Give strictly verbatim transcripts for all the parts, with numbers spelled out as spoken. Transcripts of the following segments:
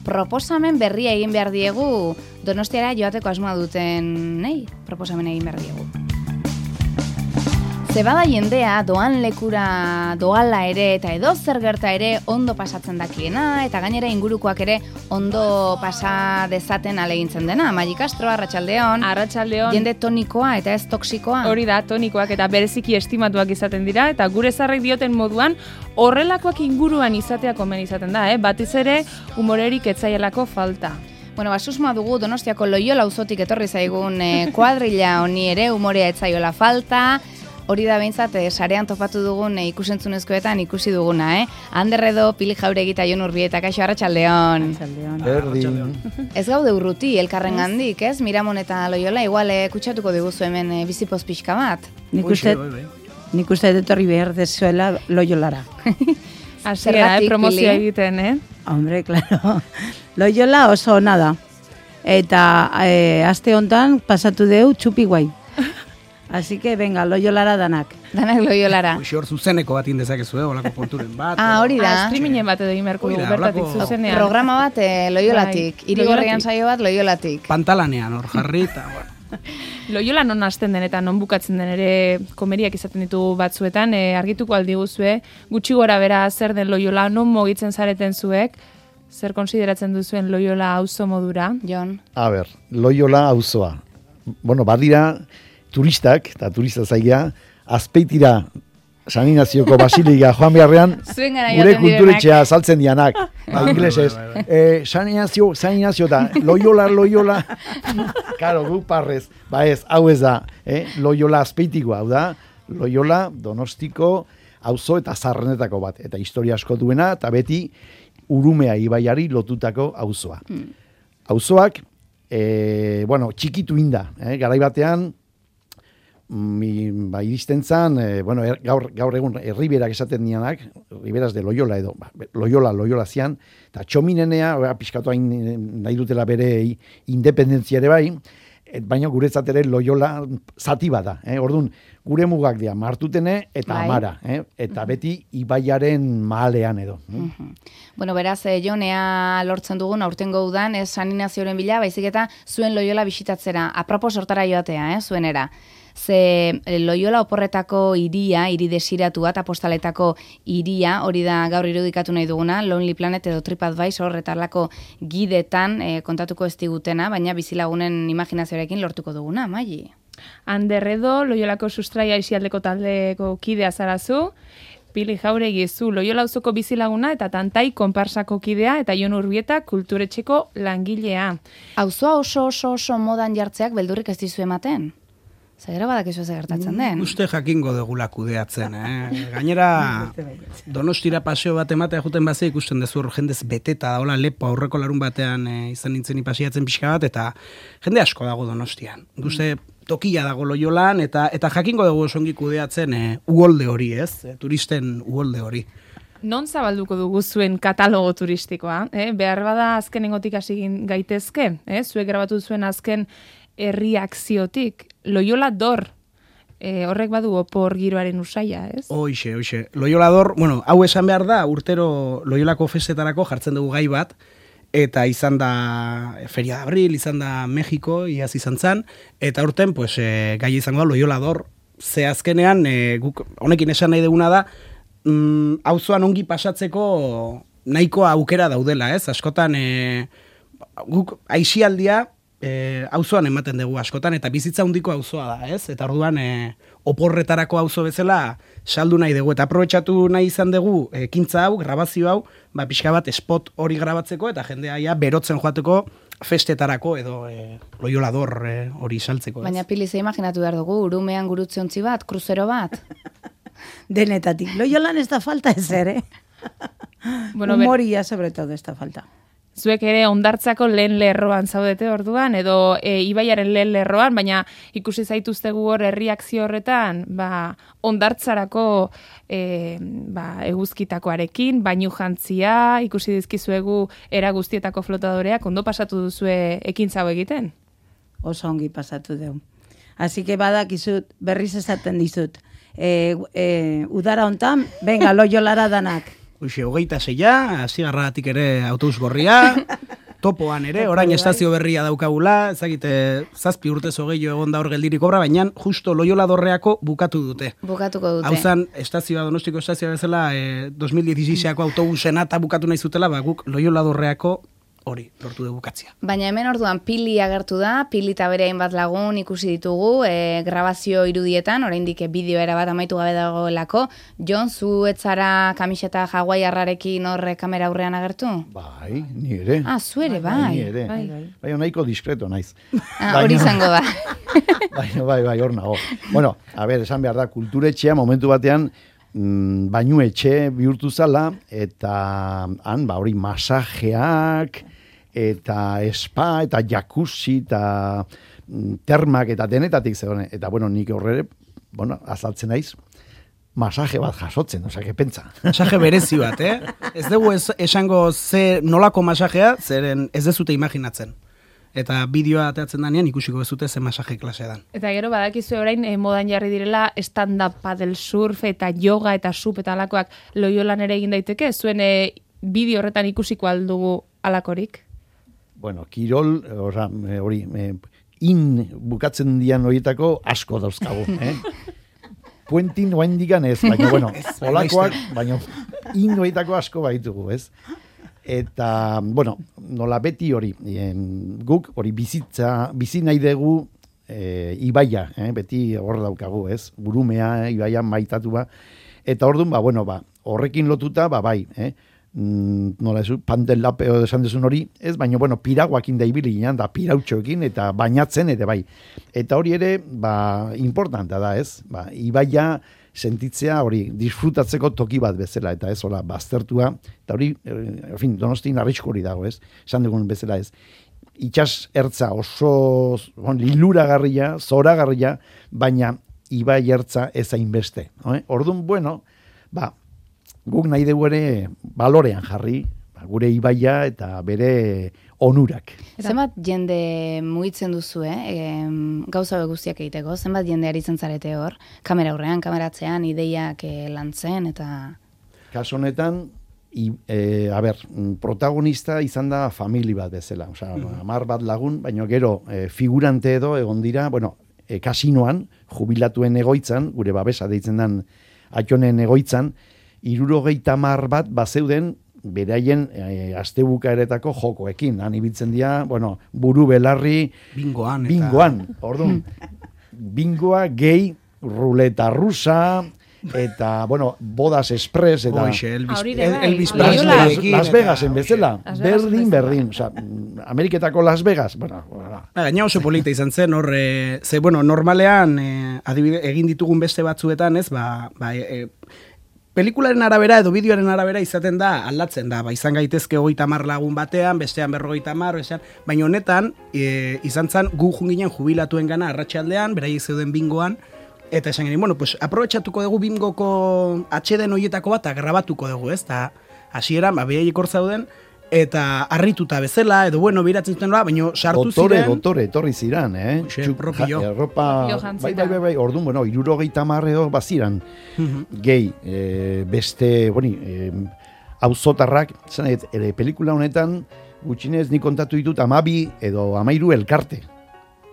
proposamen berria egin behar diegu Donostiara joateko asmoa duten, nei, proposamen egin behar diegu. Zebada jendea doan lekura doala ere eta edo zer gerta ere ondo pasatzen dakiena eta gainera ingurukoak ere ondo pasa dezaten alegintzen dena. Maji Castro, arratsaldeon. Arratsaldeon. Jende tonikoa eta ez toksikoa. Hori da, tonikoak eta bereziki estimatuak izaten dira eta gure zarrek dioten moduan horrelakoak inguruan izatea komen izaten da, eh? Batiz ere humorerik etzaielako falta. Bueno, basusmoa dugu Donostiako Loiola auzotik etorri zaigun eh, kuadrilla honi ere humorea etzaiola falta. Hori da behintzat, eh, sarean topatu dugun eh, ikusentzunezkoetan ikusi duguna, eh? Ander Edo, Pili Jauregi eta Jon Urbieta, kaixo, arratsaldeon. Berdin. Ez gaude urruti, elkarren gandik, ez? Miramon eta Loiola, igual eh, kutsatuko diguzu hemen eh, bizipoz pixka bat. Nik uste, nik uste etorri behar dezuela Loiolara. Hasiera, eh, promozioa egiten, eh? Hombre, claro. Loiola oso ona da. Eta eh, aste hontan pasatu deu txupi guai. Así que venga, Loiolara danak. Danak Loiolara. Hoxe hor zuzeneko bat indezakezu, eh, olako porturen bat. Ah, hori da. Ah, streamingen bat edo imerko dugu, bertatik zuzenean. Programa bat eh, Loiolatik. Irigorrian saio bat Loiolatik. Pantalanean hor jarri eta, bueno. Loiola non hasten den eta non bukatzen den ere komeriak izaten ditugu batzuetan, e, argituko aldiguzue, gutxi gora bera zer den Loiola, non mugitzen zareten zuek, zer konsideratzen duzuen Loiola auzo modura? Jon. A ber, Loiola auzoa. Bueno, badira turistak, eta turista zaigia, azpeitira San Ignazioko Basiliga joan beharrean, gure kulturetxea saltzen dianak. Ba, inglesez. Eh, San Ignazio, San Ignazio da, Loiola, Loiola. Karo, gu parrez. Ba ez, hau ez da, eh? Loiola azpeitikoa, hau da, Loiola Donostiko auzo eta zarrenetako bat. Eta historia asko duena, eta beti Urumea ibaiari lotutako auzoa. Hmm. Auzoak, eh, bueno, txikitu inda, eh? Garai batean, Mi, ba, iristen zan, e, bueno, er, gaur, gaur egun herriberak esaten dianak, riberas de Loiola edo, ba, Loiola, Loiola zian, eta txominenea, pixkatu hain nahi dutela bere independentzia ere bai, et, baina guretzat ere Loiola zati bada, eh? Orduan, gure mugak dira, Martutene eta bai. Amara, eh? Eta uh-huh. beti ibaiaren mahalean edo. Uh-huh. Bueno, beraz, eh, jonea lortzen dugun aurtengo udan, ez San Ignazioren bila, baizik eta zuen Loiola bisitatzera, apropos hortara joatea, eh? Zuenera. Ze Loiola oporretako iria, hiri desiratua eta postaletako iria, hori da gaur irudikatu nahi duguna, Lonely Planet edo TripAdvisor horretarlako gidetan e, kontatuko ez digutena, baina bizilagunen imaginazioarekin lortuko duguna, Maji. Ander Edo, Loiolako sustraia isialdeko taldeko kidea zarazu, Pili Jauregi zu Loiola auzoko bizilaguna eta Tantai konparsako kidea eta Jon Urbieta kulturetxeko langilea. Auzoa oso oso oso modan jartzeak beldurrik ez dizu ematen? Zagero badakizu ez gertatzen den. Uste jakingo degula kudeatzen, eh? Gainera, Donostira paseo bat ematea juten bazea ikusten dezu hor jendez beteta da, hola lepo aurreko larun batean eh, izan nintzen ipasiatzen pixka bat, eta jende asko dago Donostian. Uste tokia dago Loiolan, eta eta jakingo dugu osongi kudeatzen eh, uholde hori, ez? Eh, turisten uholde hori. Non zabalduko dugu zuen katalogo turistikoa? Eh? Behar bada azkenengotik hasi gaitezke, eh? Zuek grabatu zuen azken erreakziotik, Loiola dor, e, horrek badu opor giroaren usaia, ez? Hoxe, hoxe. Loiola dor, bueno, hau esan behar da, urtero Loiolako festetarako jartzen dugu gai bat, eta izan da Feria de Abril, izan da Mexiko, iaz izan zan, eta urten, pues, e, gai izango da Loiola dor, ze azkenean, e, guk, honekin esan nahi duguna da, mm, auzoan ongi pasatzeko nahikoa aukera daudela, ez? Askotan, e, guk aixialdia, E, auzoan ematen dugu askotan, eta bizitza handiko auzoa da, ez? Eta orduan e, oporretarako auzo bezala saldu nahi dugu, eta aprobetxatu nahi izan dugu ekintza hau, grabazio hau, ba, pixka bat spot hori grabatzeko, eta jendea ja berotzen joateko festetarako, edo e, Loiola dor e, hori saltzeko. Ez? Baina Pili, ze imaginatu behar dugu, urumean gurutzeontzi bat, kruzero bat? Denetatik. Loiolan ez da falta ezer, eh? Bueno, humoria, sobre todo, ez da falta. Zuek ere ondartzako lehen lerroan zaudete orduan, edo e, ibaiaren lehen lerroan, baina ikusi zaituztegu hor erreakzio horretan, ba, ondartzarako e, ba, eguzkitakoarekin, bainu jantzia, ikusi dizkizuegu era guztietako flotadoreak, ondo pasatu duzue ekintza hau egiten? Oso ongi pasatu dugu. Así que badakizut, berriz esaten dizut, e, e, udara hontan, venga, Loiolara danak. Hoxe, hogeita zeia, zigarratik ere autobus gorria, topoan ere, orain estazio berria daukagula, ezagite zazpi urte zogei egon da hor geldirik obra, baina justo Loiola Dorreako bukatu dute. Bukatuko dute. Hau zan, estazioa, Donostiko estazioa bezala, eh, dos mil dieciseiseko autobusena eta bukatu nahi zutela, ba, guk Loiola Dorreako hori, lortu du bukatzea. Baina hemen orduan Pili agertu da, Pili eta bere hainbat lagun ikusi ditugu, e, grabazio irudietan, oraindik bideo era bat amaitu gabe dagoelako. Jon, zu etzara kamiseta hawaiarrarekin horre kamera aurrean agertu? Bai, ni ere. Ah, zu ere, bai. Ni ere. Bai, bai nahiko diskreto naiz. Ah, hori izango da. bai, bai, bai, hor nago. Bueno, a ber, esan behar da, kulturetxea momentu batean, mm, bainu etxe bihurtu zala, eta han, ba, hori masajeak, eta spa, eta jacuzzi, eta termak, eta denetatik zegoen. Eta, bueno, nik horre, bueno, azaltzen naiz, masaje bat jasotzen, osea, que pentsa. Masaje berezi bat, eh? Ez dugu es, esango ze nolako masajea, zeren ez dezute imaginatzen. Eta bideoa ateatzen danean ikusiko bezute ze masaje klasea dan. Eta gero badakizu orain eh, modan jarri direla stand-up paddle surf eta yoga eta sup eta alakoak Loiolan ere egin daiteke, zuen eh, bideo horretan ikusiko aldugu alakorik? Bueno, kirol, oza, hori, in bukatzen dian horietako asko dauzkagu, eh? Puentin oain digan ez, baina, bueno, olakoak, baina in horietako asko baitugu, ez? Eta, bueno, nola beti hori, em, guk hori bizitza, bizi nahi dugu e, ibaia, eh? Beti hor daukagu, ez? Burumea, ibaia maitatu ba. Eta orduan, ba, bueno, ba, horrekin lotuta, ba, bai, eh? nola ez, pandel lapeo esan dezun hori, ez, baina, bueno, piraguakin da ibili ginen, da pirautxoekin, eta bainatzen, eta bai. Eta hori ere, ba, importanta da, ez, ba, ibaia sentitzea hori, disfrutatzeko toki bat bezala, eta ez, hola, baztertua, eta hori, en fin, Donostin arrisku hori dago, ez, esan dugun bezala, ez. Itxas ertza oso, bon, liluragarria, zoragarria, baina ibai ertza ez hainbeste. No, eh? Orduan, bueno, ba, guk nahi dugu ere balorean jarri, ba, gure ibaia eta bere onurak. Zenbat jende mugitzen duzu, eh? E, gauza guztiak egiteko, zenbat jende aritzen zarete hor, kamera aurrean, kameratzean, ideiak e, lantzen, eta... Kaso honetan, I, e, a ber, protagonista izan da famili bat bezala, osea, mm. amar bat lagun, baina gero e, figurante edo egon dira, bueno, e, kasinoan, jubilatuen egoitzan, gure babesa deitzen den atxonen egoitzan, hirurogeita hamar bat bazeuden beraien e, astebukaeretako jokoekin. Han ibiltzen dira, bueno, buru belarri, bingoan. Eta... Bingoan, orduan. Bingoa, gehi, ruleta rusa, eta, bueno, bodas express, eta... Oixe, Elvis, El, Elvis Las, Las Vegasen bezala, berdin, berdin. Osa, Ameriketako Las Vegas, bueno... Gaina oso polita izan zen, hor, e, ze, bueno, normalean, e, adibide, egin ditugun beste batzuetan, ez, ba, ba e, pelikularen arabera edo bideoaren arabera izaten da, aldatzen da, ba, izan gaitezke hogeita hamar lagun batean, bestean berrogeita hamar, bestean, baina honetan, e, izan zen, gu junginen jubilatuen gana arratsaldean, beraiek zeuden bingoan, eta esan geni, bueno, pues, aprobetxatuko dugu bingoko atxeden horietako bat, eta grabatuko dugu, ez, eta hasieran, ba, behaiek hor zauden, eta harrituta bezala, edo bueno, biratzen zuten, baina sartu dotore, ziren... Dotore, etorri ziren, eh? Xe, propio. Ja, erropa... Bai, bai, bai, bai, orduan, bueno, irurogeita marreo baziran. Gehi, e, beste, boni, e, auzotarrak, zan, ere, pelikula honetan, gutxinez nik kontatu ditut amabi edo amairu elkarte.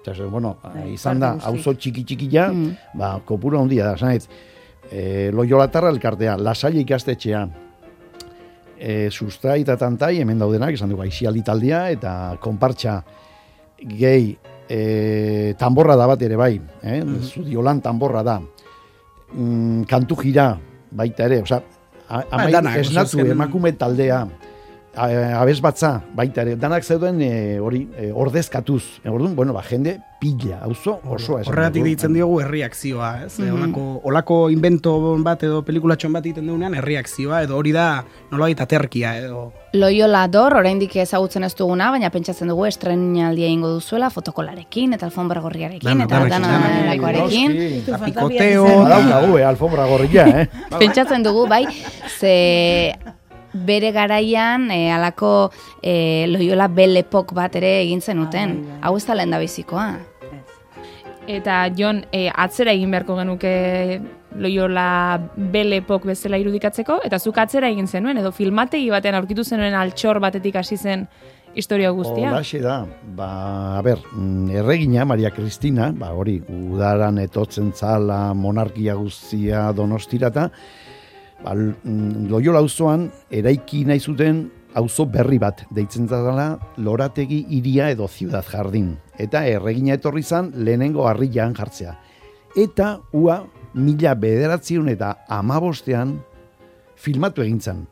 Zase, bueno, izan da, auzo txiki-txikia, mm. ba, kopura handia da, zan, e, Loiolatarra elkartea, Lasalle ikastetxea, E, sustrai eta tantai, hemen daudenak, esan dugu, aixialdi taldea, eta konpartxa gehi e, tamborra da bat ere bai, eh? Mm-hmm. Zudiolan tamborra da. Mm, kantu jira, baita ere, oza, amaik esnatu, emakume taldea, abez batza, baita ere, danak zeuden e, hori e, ordezkatuz. E, orduan, bueno, ba, jende pila, auzo osoa. Horregatik ditzen diogu erreakzioa, ez? Mm-hmm. Olako, olako invento bat edo pelikulatxon bat egiten dugunean erreakzioa, edo hori da nolabait aterkia, edo... Loiola Dor, oraindik ezagutzen ez duguna, baina pentsatzen dugu estrenaldia egingo duzuela, fotokolarekin, eta alfombra gorriarekin, eta danalakoarekin. Apikoteo... Badaukagu, eh, alfombra gorria, eh? Pentsatzen dugu, bai, ze... bere garaian e, alako e, Loiola belepok bat ere egin zenuten. Hau ez da lehen da bizikoa. Eta Jon, e, atzera egin beharko genuke Loiola belepok bezala irudikatzeko, eta zuk atzera egin zenuen, edo filmategi batean aurkitu zenuen altxor batetik hasi zen historia guztia. Holaxe da, ba, a ber, erregina, Maria Cristina, ba, hori, udaran etotzen zala, monarkia guztia donostirata, ba, Loyola auzoan eraiki nahi zuten auzo berri bat, deitzen zala Lorategi hiria edo Ciudad Jardín. Eta erregina etorri zan lehenengo harrian jartzea. Eta ua mila bederatziun eta amabostean filmatu egin zen.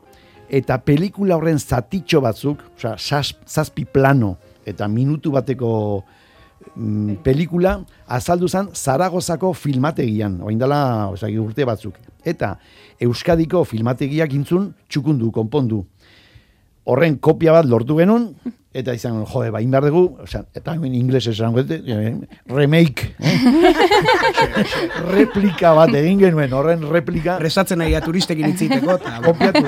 Eta pelikula horren zatitxo batzuk, osea, zazpi plano eta minutu bateko mm, pelikula azaldu zen Zaragozako filmategian, orain dela, osea, urte batzuk. Eta Euskadiko filmategiak intzun txukundu, konpondu. Horren kopia bat lortu genuen, eta izan, jode, bain behar dugu, osea, eta hemen ingles esan gute, remake, eh? replika bat egin genuen, horren replika. Resatzen nahi turistekin itziteko. Kopiatu.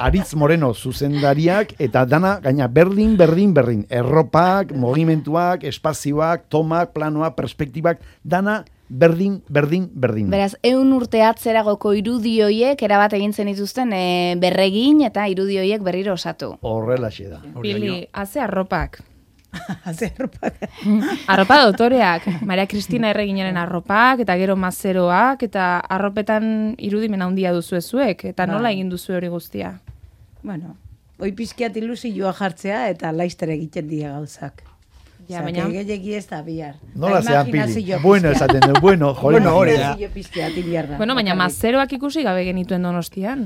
Aritz Moreno zuzendariak, eta dana, gaina, berdin, berdin, berdin. Erropak, mogimentuak, espazioak, tomak, planoak, perspektibak, dana, berdin, berdin, berdin. Beraz, eun urte atzeragoko irudioiek erabat egin zen dituzten e, berregin eta irudioiek berriro osatu. Horrelaxe da. Pili, haze arropak. Haze arropak. Arropa dotoreak. Maria Cristina erreginaren arropak, eta gero mazeroak, eta arropetan irudimen handia duzu ezuek, eta nola egin duzu hori guztia? Bueno, hoi pizkiat ilusioa jartzea, eta laizter egiten dira gauzak. Ja, baina gehiagi ez da bihar. Nola zean Pili? Bueno, esaten du, bueno, jole. Bueno, hori da. Bueno, baina mazeroak ikusi gabe genituen Donostian.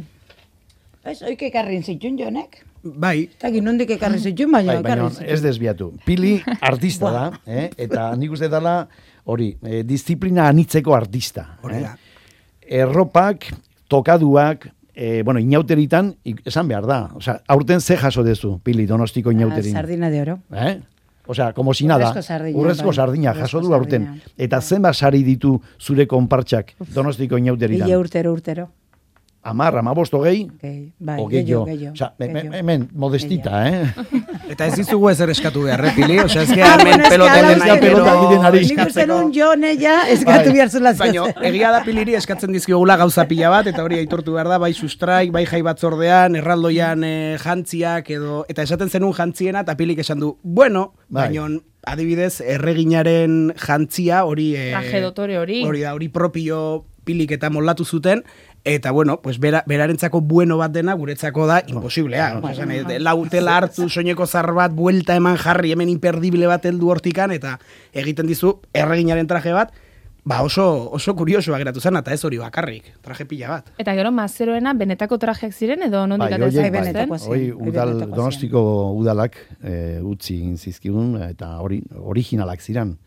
Ez, oik ekarrin zituen jonek. Bai. Eta ginondik ekarri zituen, baina bai, baina ez desbiatu. Pili artista da, eh? Eta nik uste dela, hori, eh, disiplina anitzeko artista. Hori da. Eh? Erropak, tokaduak, eh, bueno, inauteritan, esan behar da. Osea, aurten ze jaso dezu, Pili, Donostiko inauterin. Sardina de oro. Eh? Osea, como si nada. Urrezko sardina. Urrezko sardina, jaso du aurten. Eta zenbat sari ditu zure konpartxak Donostiko inauteritan? Ile urtero, urtero. Amar, amabost hogei? Bai, o gehiago. Osea, hemen, modestita, eh? Eta ez dizugu ezer eskatu behar, eh, Pili? Osea, ez que hemen peloten nahi, pero... Nik uste nun jone ja eskatu behar zula zeu. Baina, egia da Piliri eskatzen dizkiogula gauza pila bat, eta hori aitortu behar da, bai sustraik, bai jai batzordean, erraldoian eh, jantziak, edo, eta esaten zenun jantziena, eta Pilik esan du, bueno, bai. Baina, adibidez, erreginaren jantzia, hori... Eh, Traje dotore hori. Hori da, hori propio Pilik eta moldatu zuten, eta, bueno, pues bera, berarentzako bueno bat dena, guretzako da, imposiblea. No, no, no, no. Lautela hartu, soineko zar bat, buelta eman jarri, hemen imperdible bat heldu hortikan, eta egiten dizu erreginaren traje bat, ba oso, oso kuriosoa geratu zen, eta ez hori bakarrik, traje pila bat. Eta gero mazeroena benetako trajeak ziren, edo nondik bai, atera bai, hori udal, Donostiko udalak e, utzi zizkigun, eta hori originalak ziren.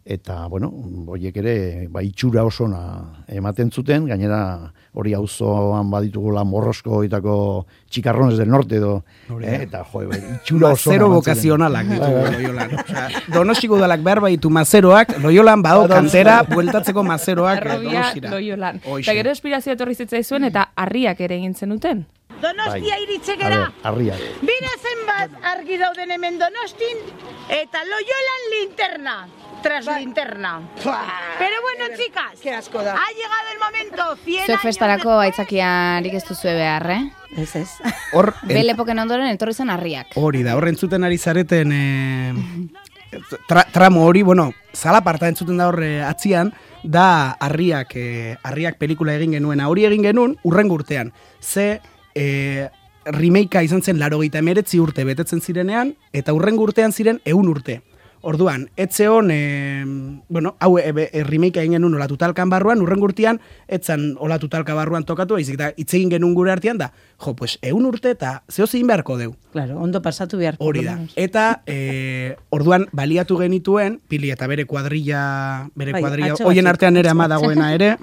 Eta, bueno, horiek ere, ba, itxura osona ematen zuten, gainera hori auzoan baditugula Morrosko itako txikarrones del norte edo, eh? Eta, jo, itxura osona. Mazero bokazionalak ditugu Loyolan. Osea, Donostiko udalak behar baitu mazeroak, Loyolan bado kantera, bueltatzeko mazeroak Donostira. Loyolan. Eta gero espirazioa etorri zitzaizuen, eta harriak ere egin zenuten. Donostia bai. iritzegera. Harriak. Bira zenbat argi dauden hemen Donostin, eta Loyolan linterna. Tras bai. Linterna. Pero bueno, chicas, Qué asco da. Ha llegado el momento. Zue festarako aitzakiarik ez duzue behar, eh? Ez ez. Hor, Bele epoken ondoren etorri zen harriak. Hori da, horren zuten ari zareten e, tra, tramo hori, bueno, zala parta entzuten da horre atzian, da harriak, e, harriak pelikula egin genuena. Hori egin genuen, urrengo urtean. Ze e, remakea izan zen larogeita emeretzi urte betetzen zirenean, eta urrengo urtean ziren ehun urte. Orduan, etxe hon, e, bueno, hau e, e, remake egin genuen olatu talkan barruan, urren gurtian, etzan olatu talka barruan tokatu, ezik eta hitz egin genuen gure artean da, jo, pues, egun urte eta zeo zein beharko deu. Claro, ondo pasatu beharko. Hori da. Eta, e, orduan, baliatu genituen, Pili eta bere kuadrilla, bere bai, kuadrilla, hoien artean ere ama dagoena ere,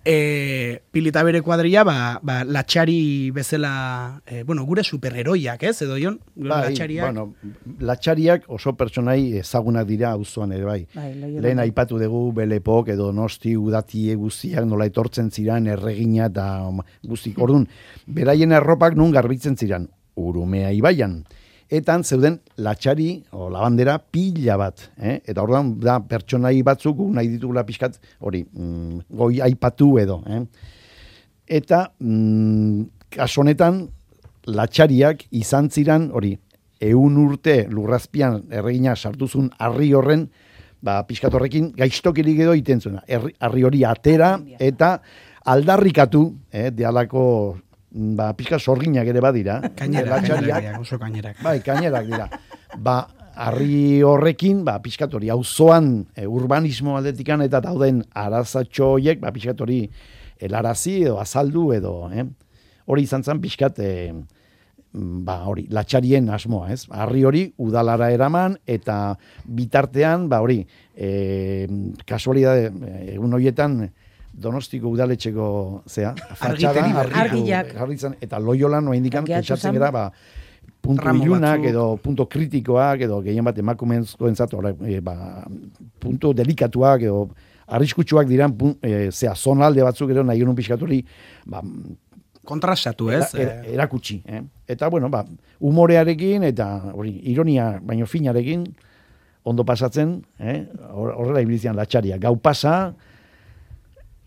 E, Pili eta bere kuadrilla, ba, ba, latxari bezala, e, bueno, gure superheroiak, ez, edo jon? Bai, latxariak. bueno, latxariak oso pertsonai ezagunak dira auzoan ere, bai. bai Lehen aipatu dugu Belepok edo Nosti udatie guztiak nola etortzen ziran erregina eta guztik. Orduan, beraien erropak nun garbitzen ziran, Urumea ibaian. Etan zeuden latxari o labandera pila bat, eh? Eta orduan da pertsonai batzuk nahi ditugula pixkat hori, mm, goi aipatu edo, eh? Eta mm, kaso honetan latxariak izan ziran hori, ehun urte lurrazpian erregina sartuzun harri horren, ba, pixkatorrekin gaiztokirik edo iten zuena. Harri hori atera eta aldarrikatu, eh, dialako ba, pixka sorginak ere badira. Kainerak, kainerak, oso kainerak. Bai, kainerak dira. Ba, harri horrekin, ba, pixkatori, auzoan e, urbanismo aldetikan eta dauden arazatxo horiek, ba, pixkatori helarazi edo azaldu edo, eh? Hori izan zen pixkat, e, ba, hori, latxarien asmoa, ez? Harri hori udalara eraman eta bitartean, ba, hori, e, kasualidade, egun horietan, Donostiko udaletxeko zea, fatxada, argiak, eta Loiolan noa indikan, pentsatzen gara, ba, puntu ilunak edo punto kritikoak edo gehien bat emakumenzkoen zatu, e, ba, puntu delikatuak edo arriskutsuak diran, e, zea, zonalde batzuk edo nahi unun pixkaturi, ba, kontrastatu, ez? Era, er, erakutsi, eh? Eta, bueno, ba, humorearekin eta, hori, ironia, baino finarekin, ondo pasatzen, eh? Horrela ibilizian latxaria, gau pasa,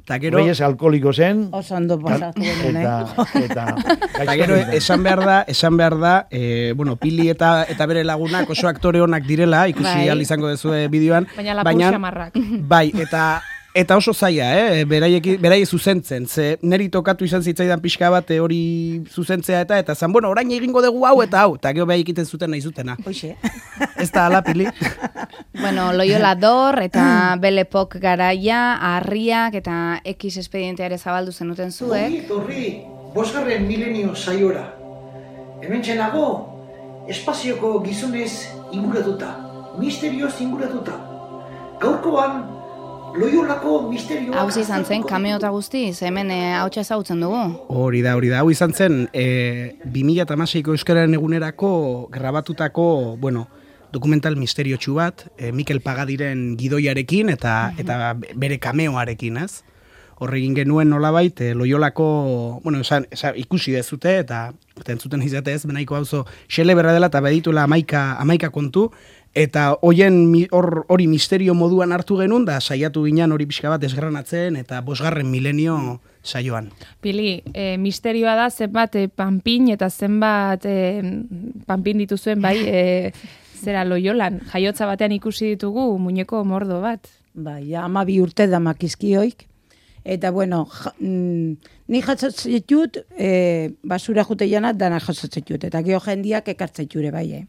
eta gero, Reyes alkoholiko zen. Oso ondo pasatu genen, eta, eta, eta gero, esan behar da, esan behar da, e, bueno, Pili eta eta bere lagunak oso aktore onak direla, ikusi bai. Al izango dezue bideoan. Baina lapur xamarrak. Bai, eta eta oso zaila, eh? Beraiek, beraiek zuzentzen, ze neri tokatu izan zitzaidan pixka bat hori zuzentzea eta, eta zan, bueno, orain egingo dugu hau eta hau, eta gero behar egiten zuten nahi zutena. Hoxe. Ez da ala, Pili? Bueno, Loiola Dor eta Belepok garaia, harriak eta X espedienteare zabaldu zenuten zuek. Torri, torri, bosgarren milenio saiora. Hemen txenago, espazioko gizonez inguratuta, misterioz inguratuta. Gaurkoan, Loiolako misterio... Hau izan zen, kameo eta guztiz, hemen e, hautsa ezagutzen dugu. Hori da, hori da. Hau izan zen, e, bi mila hamaseiko euskararen egunerako grabatutako, bueno, dokumental misteriotsu bat, e, Mikel Pagadiren gidoiarekin eta eta bere kameoarekin, ez? Horregin genuen nolabait, e, Loiolako, bueno, esan, esan, ikusi dezute eta entzuten izate ez, benaiko hauzo xele berra dela eta baditula amaika, amaika kontu, eta hoien hor, hori misterio moduan hartu genuen, da saiatu ginen hori pixka bat desgranatzen, eta bosgarren milenio saioan. Pili, e, misterioa da zenbat e, panpin eta zenbat e, panpin dituzuen bai, e, zera Loiolan, jaiotza batean ikusi ditugu muñeko mordo bat. Bai, ama bi urte da makizkioik, eta bueno, ja, mm, ni jasotzen dut, e, basura jute janat dana jasotzen dut, eta geho jendiak ekartzen jure bai, eh?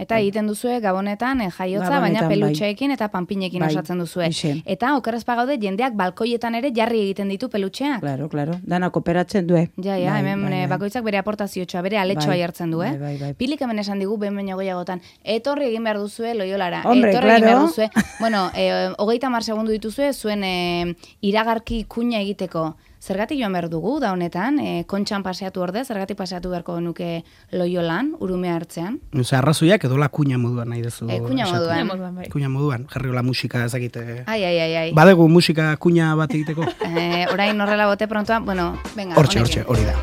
Eta egiten duzue gabonetan eh, jaiotza, Gabonetan, baina bai. pelutxeekin eta panpinekin Bai, osatzen duzue. ixe. Eta okerrez pagaude jendeak balkoietan ere jarri egiten ditu pelutxeak. Claro, claro, dana kooperatzen du, eh? Ja, ja, Bai, hemen bai, eh, bai. bakoitzak bere aportaziotxoa, bere aletxoa Bai, jartzen du, eh? bai, bai, bai. Pilik hemen esan digu, behin baino gehiagotan, etorri egin behar duzue Loiolara, Hombre, etorri egin claro. behar duzue. Bueno, eh, hogeita hamar segundu dituzue, zuen eh, iragarki kuña egiteko. Zergatik joan behar dugu, da honetan, e, kontxan paseatu orde, zergatik paseatu beharko nuke Loiolan, urume hartzean. Osa, arrazoiak edo la kuña moduan nahi dezu. E, kuña esatu. moduan. Moduan, bai. Kuña moduan, jarri hola musika ezakite. Ai, ai, ai, ai. Badegu musika kuña bat egiteko? Eh, orain horrela bote prontoa, bueno, venga. Hortxe, honekin. hortxe, hori da.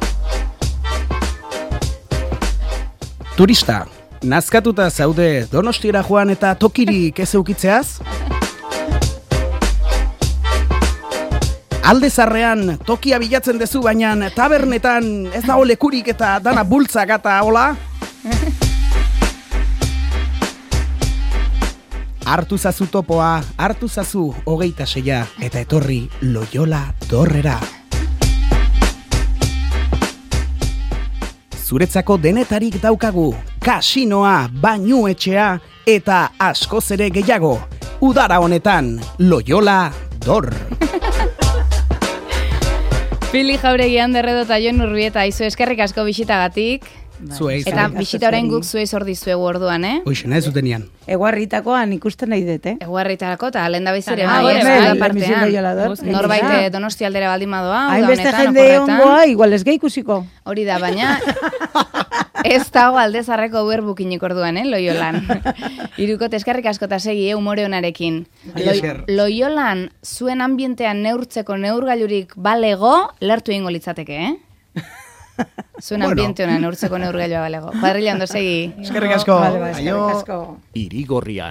Turista, nazkatuta zaude Donostiara joan eta tokirik ez eukitzeaz? Alde zarrean tokia bilatzen dezu, baina tabernetan ez dago lekurik eta dana bultzak eta hola? Hartu zazu topoa, hartu zazu hogeita seia eta etorri Loiola Dorrera. Zuretzako denetarik daukagu, kasinoa, bainuetxea eta askoz ere gehiago. Udara honetan, Loiola Dor. Pili Jauregi Anderredo eta Jon Urbieta, izu eskerrik asko bisitagatik. Zuei, Eta zuei. bisita orain guk zuei zor dizuegu orduan, eh? Hoxe, nahi zutenian. Eguarritakoan ikusten nahi dut, eh? Eguarritarako eta lehen da bizire, Ah, bai, bai, ez bai, da bai, partean. Loiola Dor. Norbait Ah. eh, Donosti aldera baldin badoa, uda Hainbeste honetan, jende oporretan. ongoa, igual ez gehi ikusiko. Hori da, baina ez dago aldezarreko uerbukinik orduan, eh, Loiolan. Iruko eskerrik asko eta segi, eh, umore honarekin. Mila esker. Loiolan zuen ambientean neurtzeko neurgailurik balego, lertu egingo litzateke, eh? Zuen Bueno. ambiente honan neurtzeko neurgailua balego. Kuadrilla ondo segi. Eskerrik asko. Vale, bai, eskerrik Aio. asko. Irigorrian.